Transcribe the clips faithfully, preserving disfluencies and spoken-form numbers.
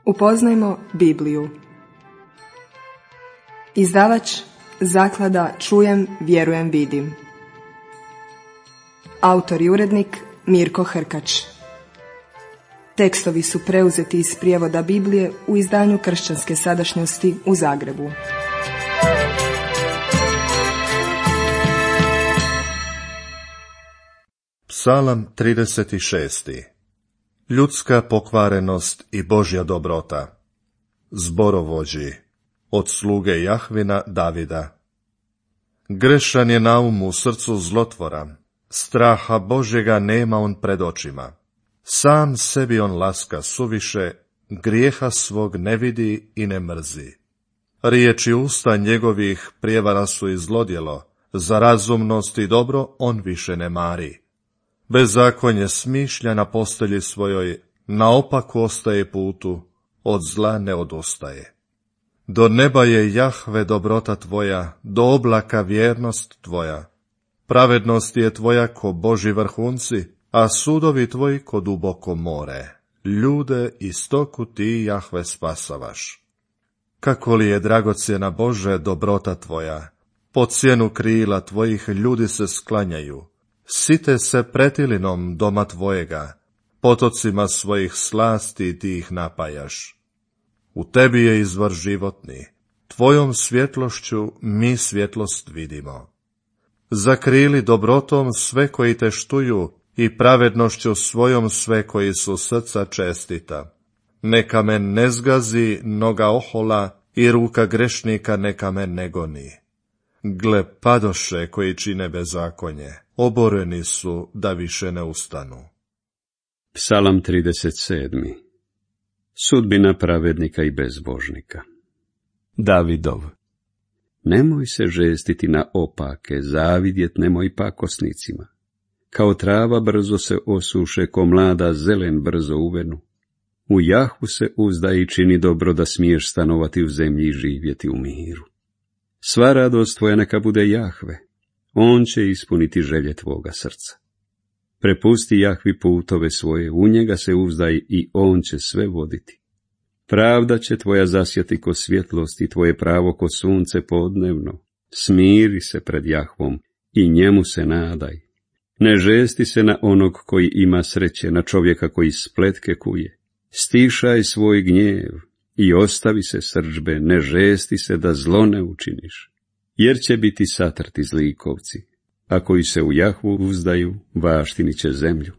Upoznajmo Bibliju. Izdavač Zaklada Čujem, vjerujem, vidim. Autor i urednik Mirko Hrkač. Tekstovi su preuzeti iz prijevoda Biblije u izdanju Kršćanske sadašnjosti u Zagrebu. Psalam trideset šest. Ljudska pokvarenost i Božja dobrota. Zborovođi od sluge Jahvina Davida. Grešan je naum u srcu zlotvora, straha Božjega nema on pred očima. Sam sebi on laska suviše, grijeha svog ne vidi i ne mrzi. Riječi usta njegovih prijevara su i zlodjelo, za razumnost i dobro on više ne mari. Bezakonje smišlja na postelji svojoj, naopaku ostaje putu, od zla ne odustaje. Do neba je Jahve dobrota tvoja, do oblaka vjernost tvoja. Pravednost je tvoja ko Božji vrhunci, a sudovi tvoji ko duboko more. Ljude i stoku ti, Jahve, spasavaš. Kako li je dragocjena Bože dobrota tvoja, po cijenu krila tvojih ljudi se sklanjaju. Site se pretilinom doma tvojega, potocima svojih slasti ti ih napajaš. U tebi je izvor životni, tvojom svjetlošću mi svjetlost vidimo. Zakrili dobrotom sve koji te štuju i pravednošću svojom sve koji su srca čestita. Neka me ne zgazi noga ohola i ruka grešnika neka me ne goni. Gle, padoše koji čine bezakonje, oboreni su da više ne ustanu. Psalam trideset sedam. Sudbina pravednika i bezbožnika. Davidov. Nemoj se žestiti na opake, zavidjet nemoj pakosnicima. Kao trava brzo se osuše, ko mlada zelen brzo uvenu. U Jahvu se uzdaj i čini dobro, da smiješ stanovati u zemlji i živjeti u miru. Sva radost tvoja neka bude Jahve, on će ispuniti želje tvoga srca. Prepusti Jahvi putove svoje, u njega se uzdaj i on će sve voditi. Pravda će tvoja zasjati ko svjetlost i tvoje pravo ko sunce podnevno. Smiri se pred Jahvom i njemu se nadaj. Ne žesti se na onog koji ima sreće, na čovjeka koji spletke kuje. Stišaj svoj gnjev i ostavi se srdžbe, ne žesti se da zlo ne učiniš. Jer će biti satrti zlikovci, a koji se u Jahvu uzdaju, baštinit će zemlju.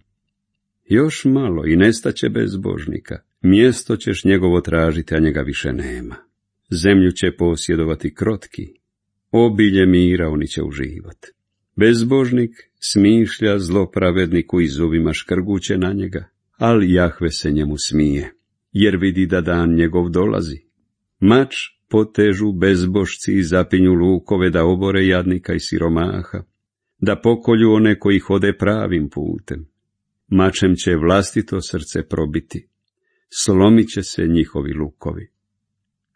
Još malo i nestaće bezbožnika, mjesto ćeš njegovo tražiti, a njega više nema. Zemlju će posjedovati krotki, obilje mira oni će uživati. Bezbožnik smišlja zlo pravedniku i zubima škrguće na njega, ali Jahve se njemu smije, jer vidi da dan njegov dolazi. Mač potežu bezbožci i zapinju lukove, da obore jadnika i siromaha, da pokolju one koji hode pravim putem. Mačem će vlastito srce probiti, slomit će se njihovi lukovi.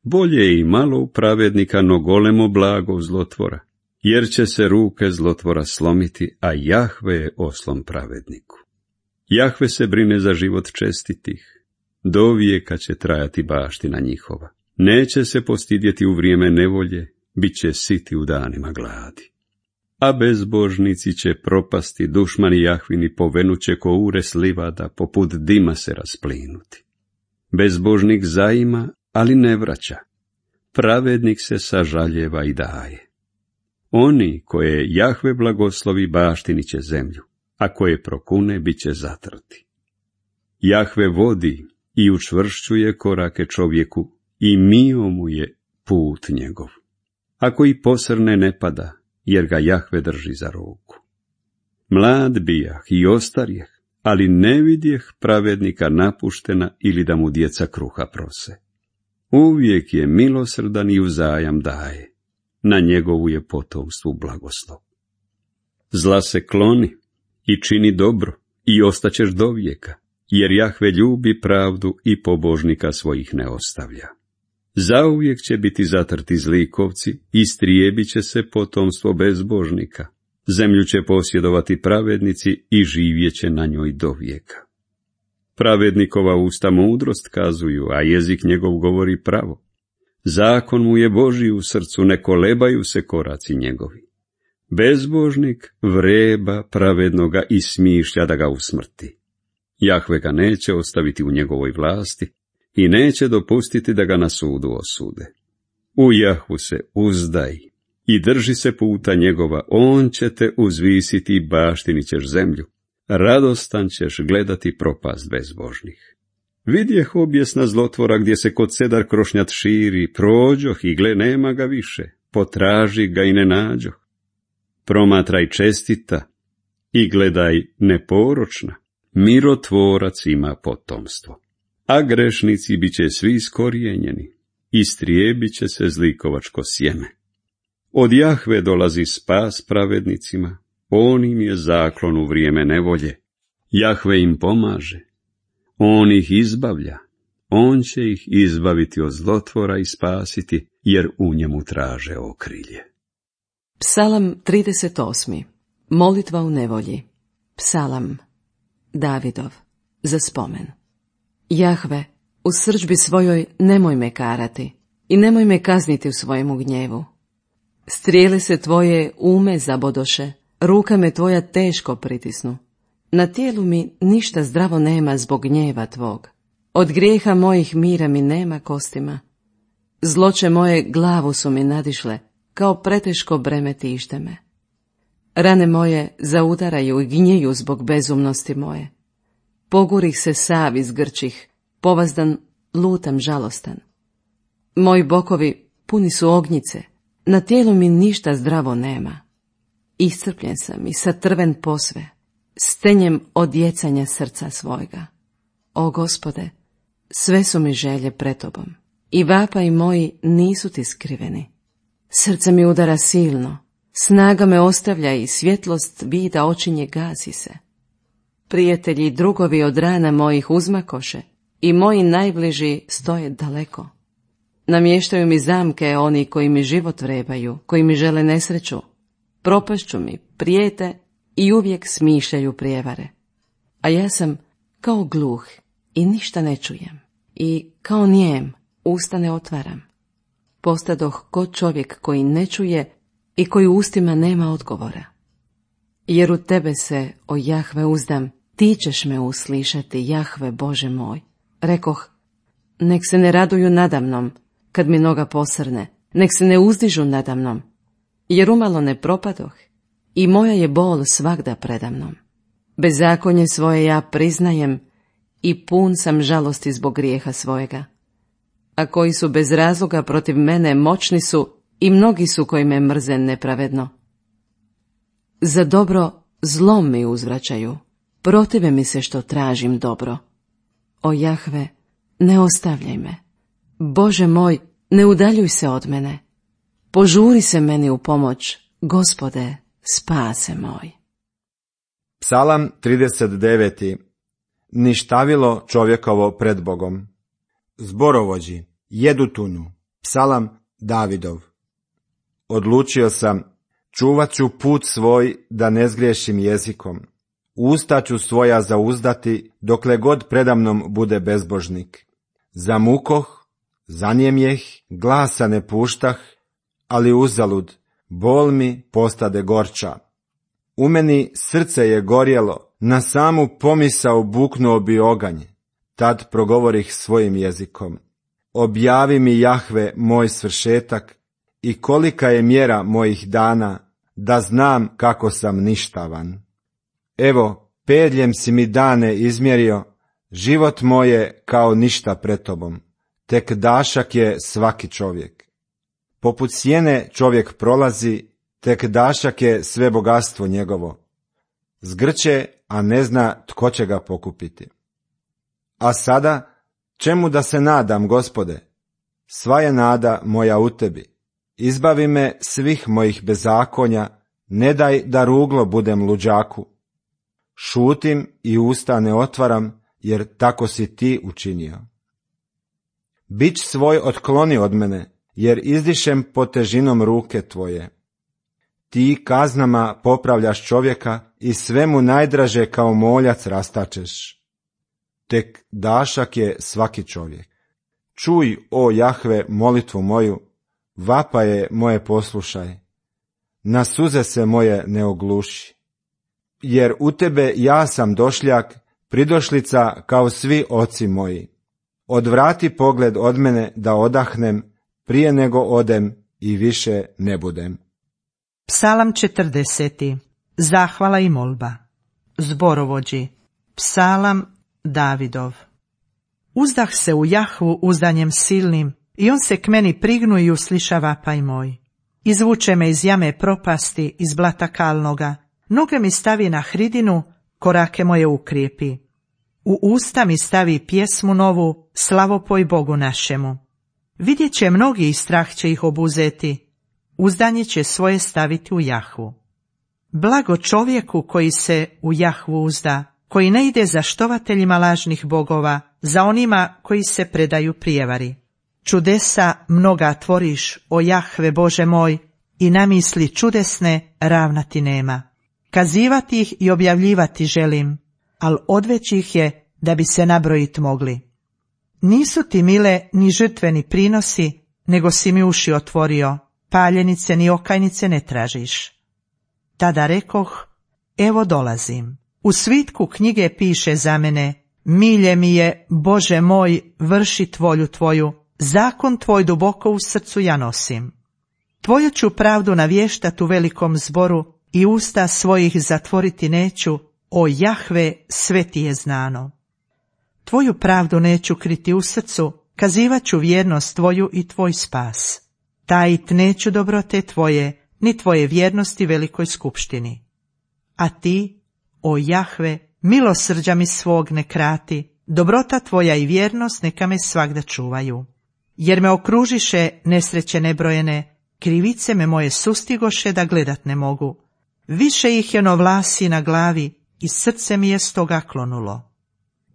Bolje je i malo u pravednika, no golemo blago zlotvora, jer će se ruke zlotvora slomiti, a Jahve je oslon pravedniku. Jahve se brine za život čestitih, do vijeka će trajati baština njihova. Neće se postidjeti u vrijeme nevolje, bit će siti u danima gladi. A bezbožnici će propasti, dušmani Jahvini povenuće ko ures livada, poput dima se rasplinuti. Bezbožnik zaima, ali ne vraća. Pravednik se sažaljeva i daje. Oni koje Jahve blagoslovi baštinit će zemlju, a koje prokune bit će zatrti. Jahve vodi i učvršćuje korake čovjeku i mio mu je put njegov. Ako i posrne ne pada, jer ga Jahve drži za ruku. Mlad bijah i ostarjeh, ali ne vidjeh pravednika napuštena ili da mu djeca kruha prose. Uvijek je milosrdan i uzajam daje, na njegovu je potomstvu blagoslov. Zla se kloni i čini dobro i ostaćeš do vijeka, jer Jahve ljubi pravdu i pobožnika svojih ne ostavlja. Zauvijek će biti zatrti zlikovci, istrijebit će se potomstvo bezbožnika. Zemlju će posjedovati pravednici i živjet će na njoj do vijeka. Pravednikova usta mudrost kazuju, a jezik njegov govori pravo. Zakon mu je Božji u srcu, ne kolebaju se koraci njegovi. Bezbožnik vreba pravednoga i smišlja da ga usmrti. Jahve ga neće ostaviti u njegovoj vlasti i neće dopustiti da ga na sudu osude. U Jahvu se uzdaj i drži se puta njegova, on će te uzvisiti i baštinit ćeš zemlju. Radostan ćeš gledati propast bezbožnih. Vidjeh objesna zlotvora gdje se kod sedar krošnjat širi, prođoh i gle nema ga više, potraži ga i ne nađoh. Promatraj čestita i gledaj neporočna, mirotvorac ima potomstvo. A grešnici bit će svi iskorijenjeni, istrijebit će se zlikovačko sjeme. Od Jahve dolazi spas pravednicima, on im je zaklon u vrijeme nevolje. Jahve im pomaže, on ih izbavlja, on će ih izbaviti od zlotvora i spasiti, jer u njemu traže okrilje. Psalam trideset osmi. Molitva u nevolji. Psalam Davidov, za spomen. Jahve, u srdžbi svojoj nemoj me karati i nemoj me kazniti u svojemu gnjevu. Strijele se tvoje ume zabodoše, ruka me tvoja teško pritisnu. Na tijelu mi ništa zdravo nema zbog gnjeva tvog. Od grijeha mojih mira mi nema kostima. Zloće moje glavu su mi nadišle, kao preteško breme tište me. Rane moje zaudaraju i gnjeju zbog bezumnosti moje. Pogurih se sav iz grčih, povazdan lutam žalostan. Moji bokovi puni su ognjice, na tijelu mi ništa zdravo nema. Iscrpljen sam i satrven posve, stenjem od jecanja srca svojega. O Gospode, sve su mi želje pred tobom, i vapaji moji nisu ti skriveni. Srce mi udara silno, snaga me ostavlja i svjetlost vida očinje gasi se. Prijatelji i drugovi od rana mojih uzmakoše i moji najbliži stoje daleko. Namještaju mi zamke oni koji mi život vrebaju, koji mi žele nesreću. Propašću mi, prijete i uvijek smišljaju prijevare. A ja sam kao gluh i ništa ne čujem, i kao nijem usta ne otvaram. Postadoh ko čovjek koji ne čuje i koji ustima nema odgovora. Jer u tebe se, o Jahve, uzdam, ti ćeš me uslišati, Jahve Bože moj. Rekoh, nek se ne raduju nadamnom, kad mi noga posrne, nek se ne uzdižu nadamnom, jer umalo ne propadoh i moja je bol svagda predamnom. Bezakonje svoje ja priznajem i pun sam žalosti zbog grijeha svojega. A koji su bez razloga protiv mene moćni su i mnogi su koji me mrze nepravedno. Za dobro zlom mi uzvraćaju, protive mi se što tražim dobro. O Jahve, ne ostavljaj me. Bože moj, ne udaljuj se od mene. Požuri se meni u pomoć, Gospode, spase moj. Psalam trideset deveti. Ništavilo čovjekovo pred Bogom. Zborovođi, Jedutunu, psalam Davidov. Odlučio sam, čuvat ću put svoj da ne zgriješim jezikom. Usta ću svoja zauzdati dokle god predamnom bude bezbožnik. Zamukoh, zanijemjeh, glasa ne puštah, ali uzalud, bol mi postade gorča. U meni srce je gorjelo, na samu pomisao buknuo bi oganj. Tad progovorih svojim jezikom. Objavi mi, Jahve, moj svršetak i kolika je mjera mojih dana, da znam kako sam ništavan. Evo, pedljem si mi dane izmjerio, život moje kao ništa pred tobom, tek dašak je svaki čovjek. Poput sjene čovjek prolazi, tek dašak je sve bogatstvo njegovo. Zgrče, a ne zna tko će ga pokupiti. A sada, čemu da se nadam, Gospode? Sva je nada moja u tebi. Izbavi me svih mojih bezakonja, ne daj da ruglo budem luđaku. Šutim i usta ne otvaram, jer tako si ti učinio. Bić svoj otkloni od mene, jer izdišem pod težinom ruke tvoje. Ti kaznama popravljaš čovjeka i sve mu najdraže kao moljac rastačeš. tek dašak je svaki čovjek. Čuj, o Jahve, molitvu moju, vapaje moje poslušaj. Na suze se moje ne ogluši. Jer u tebe ja sam došljak, pridošlica kao svi oci moji. Odvrati pogled od mene da odahnem, prije nego odem i više ne budem. Psalam četrdeseti. Zahvala i molba. Zborovođi. Psalam Davidov. Uzdah se u Jahvu uzdanjem silnim, i on se k meni prignu i usliša vapaj moj. Izvuče me iz jame propasti, iz blata kalnoga, noge mi stavi na hridinu, korake moje ukrijepi. U usta mi stavi pjesmu novu, slavopoj Bogu našemu. Vidjet će mnogi i strah će ih obuzeti, uzdanje će svoje staviti u Jahvu. Blago čovjeku koji se u Jahvu uzda, koji ne ide za štovateljima lažnih bogova, za onima koji se predaju prijevari. Čudesa mnoga tvoriš, o Jahve Bože moj, i namisli čudesne ravnati nema. Kazivati ih i objavljivati želim, al odveć ih je da bi se nabrojit mogli. Nisu ti mile ni žrtveni prinosi, nego si mi uši otvorio, paljenice ni okajnice ne tražiš. Tada rekoh, evo dolazim. U svitku knjige piše za mene, milje mi je, Bože moj, vršit volju tvoju, zakon tvoj duboko u srcu ja nosim. Tvoju ću pravdu navještat u velikom zboru i usta svojih zatvoriti neću, o Jahve, sve ti je znano. Tvoju pravdu neću kriti u srcu, kazivat ću vjernost tvoju i tvoj spas. Tajit neću dobrote tvoje, ni tvoje vjernosti velikoj skupštini. A ti, o Jahve, milosrđa mi svog ne krati, dobrota tvoja i vjernost neka me svagda čuvaju. Jer me okružiše nesreće nebrojene, krivice me moje sustigoše da gledat ne mogu. Više ih je no vlasi na glavi i srce mi je stoga klonulo.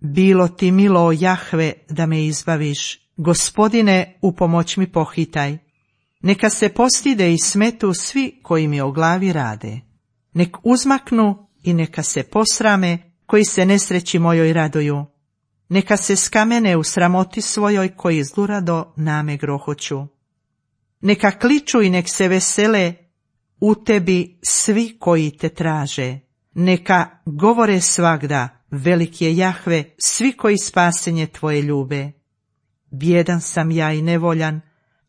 Bilo ti milo, o Jahve, da me izbaviš, Gospodine, u pomoć mi pohitaj. Neka se postide i smetu svi koji mi o glavi rade. Nek uzmaknu i neka se posrame koji se nesreći mojoj raduju. Neka se skamene u sramoti svojoj koji zlurado name grohoću. Neka kliču i nek se vesele u tebi svi koji te traže. Neka govore svagda, velik je Jahve, svi koji spasenje tvoje ljube. Bjedan sam ja i nevoljan,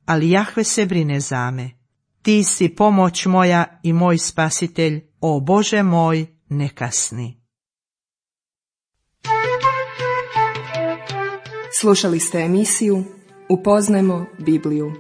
ali Jahve se brine za me. Ti si pomoć moja i moj spasitelj, o Bože moj, ne kasni. Slušali ste emisiju Upoznajmo Bibliju.